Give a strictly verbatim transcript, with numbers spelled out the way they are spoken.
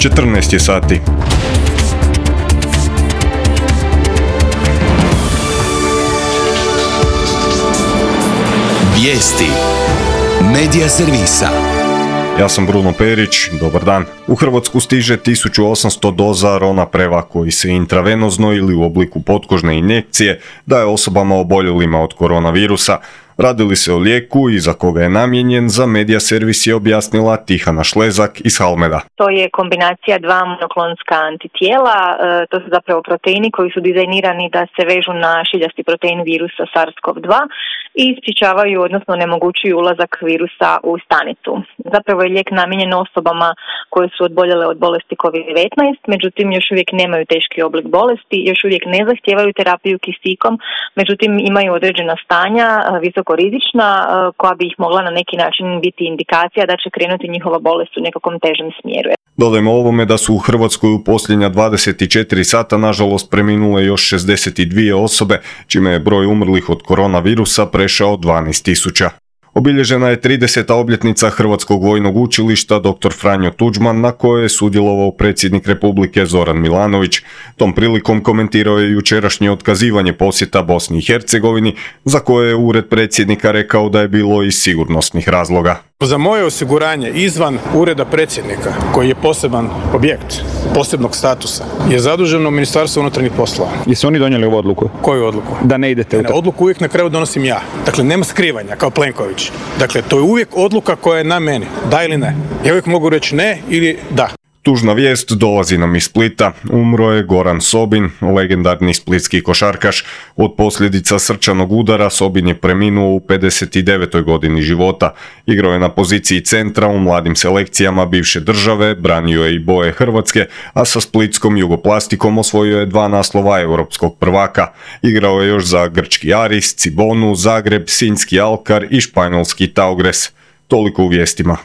četrnaest je sati. Vijesti Medija servisa. Ja sam Bruno Perić, dobar dan. U Hrvatsku stiže tisuću osamsto doza Ronapreva koji se intravenozno ili u obliku potkožne injekcije daje osobama oboljelima od koronavirusa. Radi li se o lijeku i za koga je namijenjen, za Medija servis je objasnila Tihana Šlezak iz Halmeda. To je kombinacija dva monoklonska antitijela, to su zapravo proteini koji su dizajnirani da se vežu na šiljasti protein virusa SARS-CoV dva i sprječavaju, odnosno onemogućuju ulazak virusa u stanicu. Zapravo je lijek namijenjen osobama koje su oboljele od bolesti kovid devetnaest, međutim još uvijek nemaju teški oblik bolesti, još uvijek ne zahtijevaju terapiju kisikom, međutim imaju određena stanja, visoko rizična, koja bi ih mogla na neki način biti indikacija da će krenuti njihova bolest u nekakvom težem smjeru. Dodajmo ovome da su u Hrvatskoj u posljednja dvadeset četiri sata nažalost preminule još šezdeset dvije osobe, čime je broj umrlih od koronavirusa prešao dvanaest tisuća. Obilježena je trideseta obljetnica Hrvatskog vojnog učilišta dr. Franjo Tuđman, na kojoj je sudjelovao predsjednik Republike Zoran Milanović. Tom prilikom komentirao je jučerašnje otkazivanje posjeta Bosni i Hercegovini, za koje je ured predsjednika rekao da je bilo iz sigurnosnih razloga. Za moje osiguranje izvan ureda predsjednika, koji je poseban objekt, posebnog statusa, je zaduženo Ministarstvo unutarnjih poslova. Jesu oni donijeli ovu odluku? Koju odluku? Da ne idete u to. Odluku uvijek na kraju donosim ja. Dakle, nema skrivanja kao Plenković. Dakle, to je uvijek odluka koja je na meni. Da ili ne? Ja uvijek mogu reći ne ili da. Tužna vijest dolazi nam iz Splita. Umro je Goran Sobin, legendarni splitski košarkaš. Od posljedica srčanog udara Sobin je preminuo u pedeset devetoj godini života. Igrao je na poziciji centra u mladim selekcijama bivše države, branio je i boje Hrvatske, a sa splitskom Jugoplastikom osvojio je dva naslova europskog prvaka. Igrao je još za grčki Aris, Cibonu, Zagreb, sinjski Alkar i španjolski Taugres. Toliko u vijestima.